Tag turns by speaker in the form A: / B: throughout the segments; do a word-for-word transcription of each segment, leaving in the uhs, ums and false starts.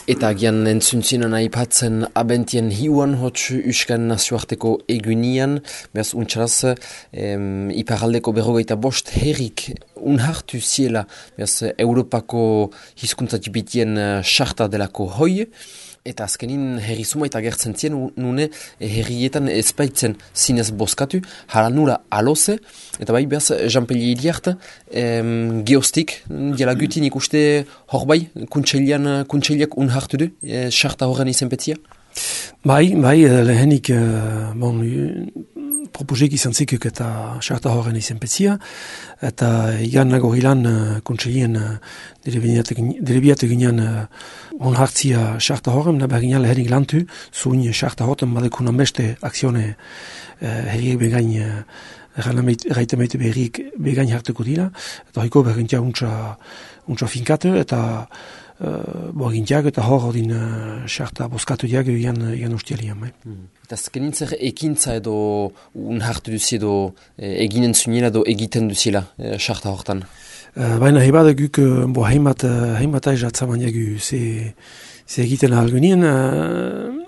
A: Eta agian entzuntzinen aipatzen abentien hiuan hotx Euskan nazioarteko egunian, behaz untxaraz, em, iparaldeko berrogeita bost herrik unhartu ziela, behaz Europako hizkuntza txipitien sarta delako hoi, eta azkenin herri zumaita agertzen zien, nune herrietan ezpaitzen zinez boskatu, hala nula aloze, eta bai behaz Jean-Peli Iliart, em, geostik, diala gutin ikuste hor bai, kuntxelian, kuntxeliak unhartu du, e, sarta horren izenpetzia?
B: Bai, bai, lehenik, uh, bon, propozik izan zikuk eta sarta horren izenpetzia, eta igan nagorilan uh, kuntxelien uh, delebiatu ginean uh, onhartzia sarta horren, nabar ginean lehenik lantu, zuin sarta horren badekunan beste akzione uh, herriek begain uh, erraite meite berriek begain hartuko dira, eta horiko bergintia untsa, untsa finkatu, eta Uh, bo egintiak eta hor hodin uh, sarta boskatu diak egan, egan ustialian. Bai.
A: Hmm. Eta zkenintzer ekintza edo unhartu duzi edo e, eginen zunila edo egiten duzila e, sarta hortan?
B: Uh, baina hebada guk bo heimat, heimat aiz atzaman jagu ze, ze egiten ahalgunien. Uh,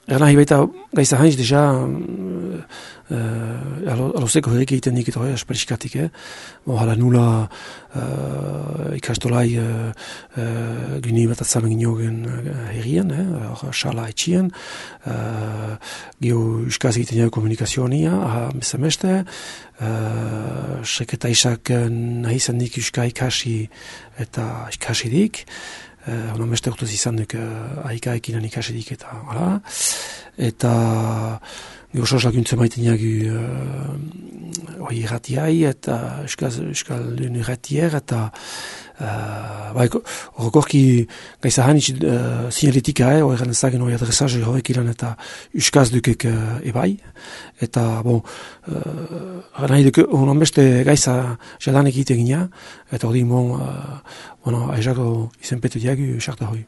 B: Erna hebaita gaisa hanz deja uh, uh, alozeko herrik egiten nik eta hori asperixkatik. Eh? Bo hala nula uh, ikastolai uh, uh, guni bat atzamen ginogen uh, herrien, eh? Xala etxien, uh, geho euskaz egiten jago komunikazionia, aha bezameste, uh, seketa isak nahi izan nik euska ikasi eta ikasi dik, Uh, Hona meste urtuz izan duk uh, aika ekinan ikasedik eta hala. Eta gehosaz laguntzen maiten jagu uh, oi irratiai eta euskal, euskal irratier eta uh, bai, horrekorki gaisa hanitz uh, sinaletika eh, horrekan ezagen hori adresaje horrek ilan eta euskaz dukek uh, ebai. Eta, bon, uh, nahi duk, honan beste gaisa jadanek egiten gina, eta hori mon, uh, bueno, aizako izenpetu diagu sarta hoi.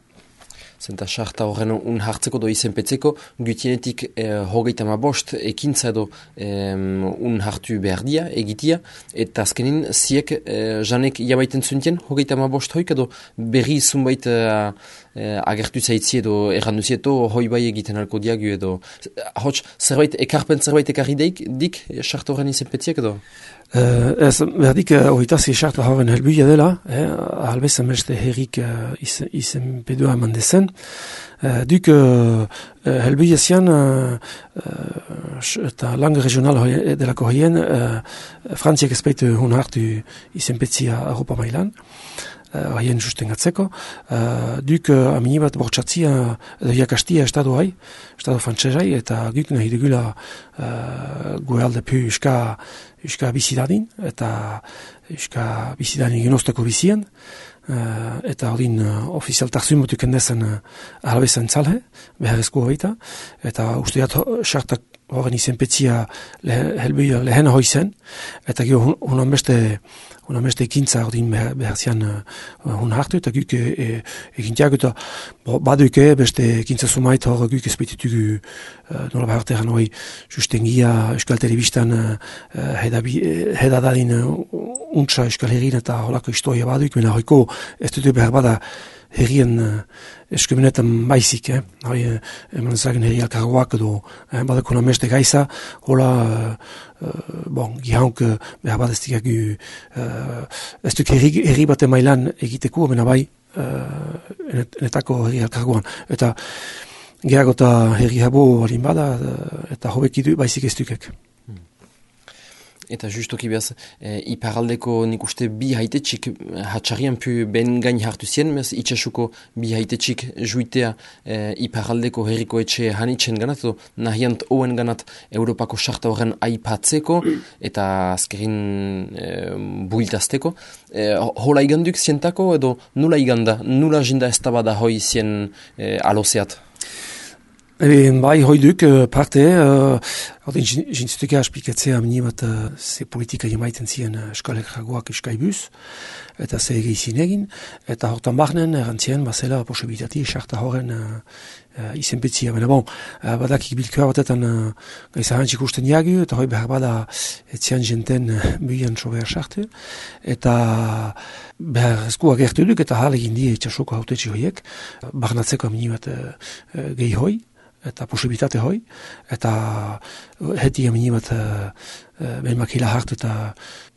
A: Zenta sarta horren unhartzeko do izenpetzeko, gutienetik eh, hogeita ma bost ekintza edo eh, unhartu behar dia, egitia, eta azkenin ziek eh, janek jabaiten zuntien hogeita ma bost hoik edo berri zunbait eh, eh, agertu zaitzi edo erranduzieto hoi bai egiten alko diagu edo hots zerbait ekarpen zerbait ekarri deik dik sarta horren izenpetziak edo?
B: Uh, ez, berdik, horitazi uh, sarta horren helbuia dela, eh, ahalbezan beste herrik uh, izen, izen pedua eman dezen. Uh, duk, uh, helbuia zian, uh, uh, eta lang regional hoi, delako hoien, uh, Frantziak ezpeitu hun hartu izenpetzia Europa mailan, haien uh, sustengatzeko. Uh, duk, uh, amini bat bortxatzia, edo jakastia estado hai, estado frantzesai, eta guk nahi dugula uh, goealde pu uska Euska bizidadin, eta Euska bizidadin genozteko bizien, uh, eta hodin uh, ofizialtak zuimotuk endezen uh, ahalbezan tzalhe, beharrezko hogeita, eta usteat sartak horren izenpetzia lehen, helbuia lehen hoi zen, eta gero honan beste Hona beste ekintza ordin behar zian uh, hun hartu, eta guk e, egintiak eta baduke beste ekintza sumait hor guk ezpeitutugu uh, nola behar terran hori sustengia Euskal Telebistan uh, hedadadin uh, untsa Euskal Herrin eta holako historia baduk, mena horiko ez dute behar bada herrien uh, eskumenetan baizik, eh? Hoi, eman ezagen herri alkargoak edo eh, badako nameste gaisa, hola, uh, uh, bon, gihaunk uh, behar bat ez dikagu, uh, ez duk herri, herri bate mailan egiteko, mena bai, uh, enetako herri alkargoan. Eta gehago eta herri habo balin bada, uh, eta hobekidu baizik ez dukek.
A: Eta justoki behaz, e, iparaldeko nik uste bi haitetxik hatxarian pu ben gain hartu zien, mez itxasuko bi haitetxik juitea e, iparaldeko herriko etxe hanitzen ganat, edo nahiant oen ganat Europako sarta horren aipatzeko, eta azkerin e, builtazteko. E, hola iganduk zientako, edo nula iganda, nula jinda ez tabada hoi zien e, alozeat?
B: E, bai, hoiduk, parte, hori jintzutuka esplikatzea mini bat ze politika jemaiten ziren eskalek jagoak eskaibuz, eta ze egizin egin, eta hortan bahnen erantzien bazela posibilitati esarta horren uh, izenpetzia. Baina bon, uh, badakik bilkua batetan uh, gaizahantzik usten jagu, eta hoi behar bada etzian jenten uh, buian sobear sartu, eta behar eskua gertu duk, eta hal egin die itxasoko hautetxe hoiek, bahnatzeko mini bat uh, uh, gehi hoi, eta posibilitate hoi, eta heti amini bat uh, uh, behin makila hartu eta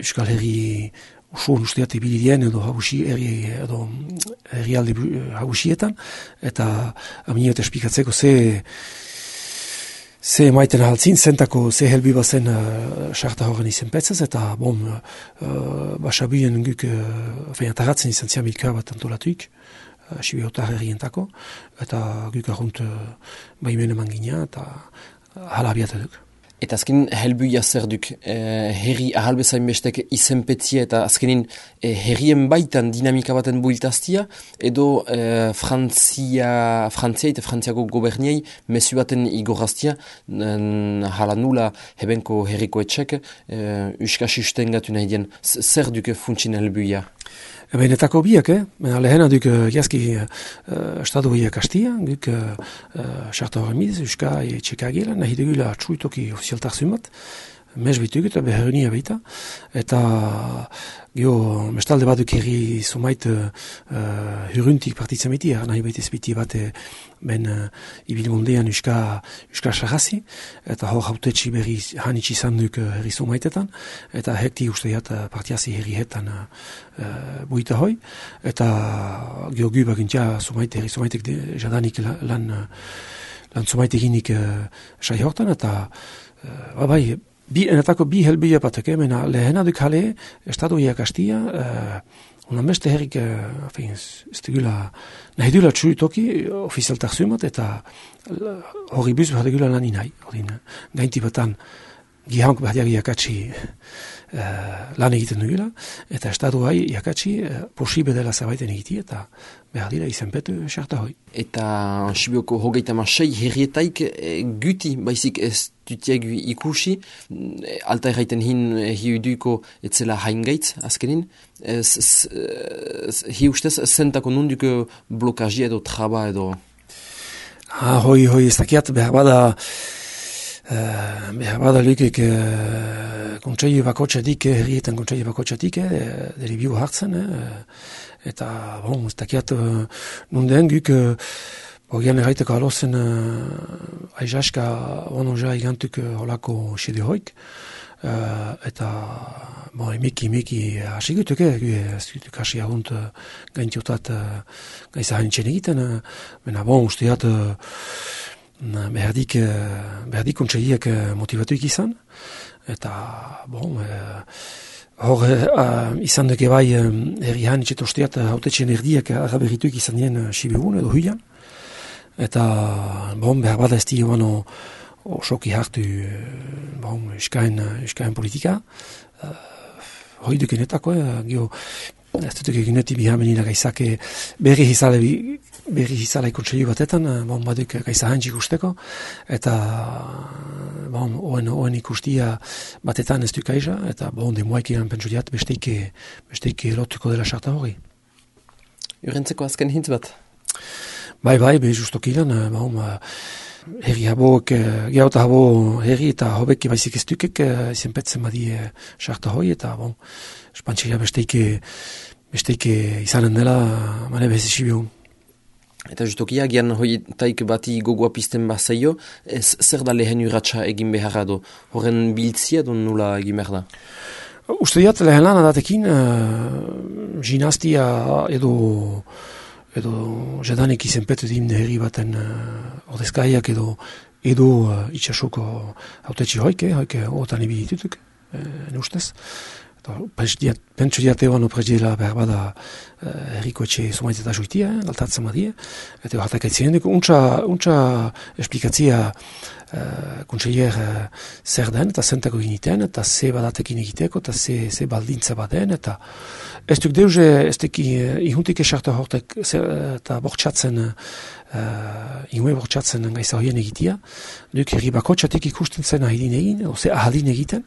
B: Euskal Herri usuan usteat ibilidien edo hagusi, eri, edo herrialde hagusietan, eta amini bat espikatzeko ze ze maiten ahaltzin, zentako ze helbi bazen uh, sarta horren izen petzaz, eta bom, uh, basabuien guk, uh, fein ataratzen izan zian bilkar bat antolatuik, Sibi hotar herrientako, eta guk argunt uh, baimen eman gina, eta hala abiatu duk.
A: Eta azkenin helbuia zer duk, eh, herri ahalbezain bestek izenpetzia eta azkenin eh, herrien baitan dinamika baten builtaztia, edo eh, Frantzia, Frantzia eta Frantziako goberniei mesu baten igorraztia, hala nula hebenko herriko etxek, eh, uskasisten gatu nahi dien, zer duke funtsin helbuia?
B: Benetako biak, eh? Lehena duk uh, jazki uh, estadu biak hastia, duk sarta uh, horremiz, euska e txekagela, nahi dugula txuitoki ofizialtar zumat, mez bituk eta beharrenia baita, eta geho, mestalde bat duk herri sumait uh, huruntik partitzen beti, nahi baita ezbiti bat ben uh, ibilmondean euska, euska sarrazi, eta hor hautetxi berri hanitsi izan duk uh, herri sumaitetan, eta hekti usteiat uh, partiazi herri hetan uh, uh, buita hoi, eta geho gu bagintia sumaite, herri sumaitek jadanik lan, lan sumaite eginik uh, sai hortan, eta uh, bai, Bi, enetako bi helbila batek, eh? Mena lehena duk hale, estadu iak hastia, uh, unan beste herrik, uh, fein, ez dugula, nahi dugula txuritoki, ofizialtak zumat, eta hori buz behar dugula lan inai. Horin, gainti batan, gihank behar iakatsi uh, lan egiten dugula, eta estadu hai iakatsi uh, posibe dela zabaiten egiti, eta behar dira izenpetu sarta hoi.
A: Eta Sibioko hogeita masai herrietaik e, guti baizik ez dutiak ikusi, e, alta erraiten hin e, hiuduko etzela haingaitz azkenin, hi ustez zentako nunduko blokazia edo traba edo?
B: Ah, hoi, hoi, ez dakiat behar bada Uh, behar bada lukik uh, kontseio bakotxatik, herrietan kontseio bakotxatik, eh, deri biu hartzen, eh, eta, bon, ez dakiat uh, nunden guk, uh, Ogian erraiteko alozen uh, aizaska onoja igantuk uh, holako xede hoik, uh, eta bon, emeki, emeki hasi gutuk, ez gutuk hasi agunt uh, gaintiotat uh, gaiza haintzen egiten, uh, mena bon, usteat uh, Behardik, behardik kontseiak motivatuik izan, eta, bon, eh, hor eh, izan duke bai eh, herrihan itxetosteat hautetxen erdiak agaberrituik izan dien uh, Sibiun edo huian, eta, bon, behar bada ez di oano osoki hartu, bon, euskain, euskain politika, uh, hoi dukenetako, eh, gio, ez dutuk eguneti bihamenina gaizake berri hizale berri hizala ikontseilu batetan, bon, baduk gaiza hantzik usteko, eta bon, oen, oen ikustia batetan ez duk aiza, eta bon, demoaik iran pentsudiat besteike, besteike lotuko dela sarta hori.
A: Urentzeko azken hintz bat?
B: Bai, bai, be justok iran, bon, herri haboak, geauta habo herri eta hobeki baizik ez dukek, izenpetzen badie sarta hori, eta bon, espantxeria besteike, besteike izanen dela, mane behezi Sibiun.
A: Eta justokia, gian hoi taik bati gogoa pizten bazaio, ez zer da lehen urratxa egin beharra do? Horren biltzia do nula egin behar da?
B: Uste diat lehen lan adatekin, uh, ginastia edo edo jadanik izenpetu din herri baten uh, ordezkaiak edo edo uh, itxasuko hautetxi hoike, hoike otan ibi ditutuk, uh, ne ustez. Pentsu diate oan oprezdiela behar bada herriko etxe sumaitz eta juitia, eh, galtatzen badie, eta hartak aitzien duk, untsa, untsa esplikatzia uh, kontseier uh, zer den, eta zentako giniten, eta ze badatekin egiteko, eta ze, ze baldintza baden, eta ez duk deuze, ez duk uh, ihuntik esartu hortek, eta bortxatzen uh, uh, ingoe bortxatzen gaiza horien egitia, duk herri bakotxatik ikusten zen ahidin egin, oze ahaldin egiten,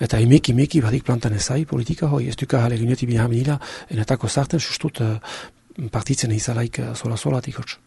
B: eta imeki imeki badik plantan ezai politika hoi, ez duka hale gineoti bina benila, enetako zarten sustut uh, partitzen izalaik uh, sola-solatik hotz.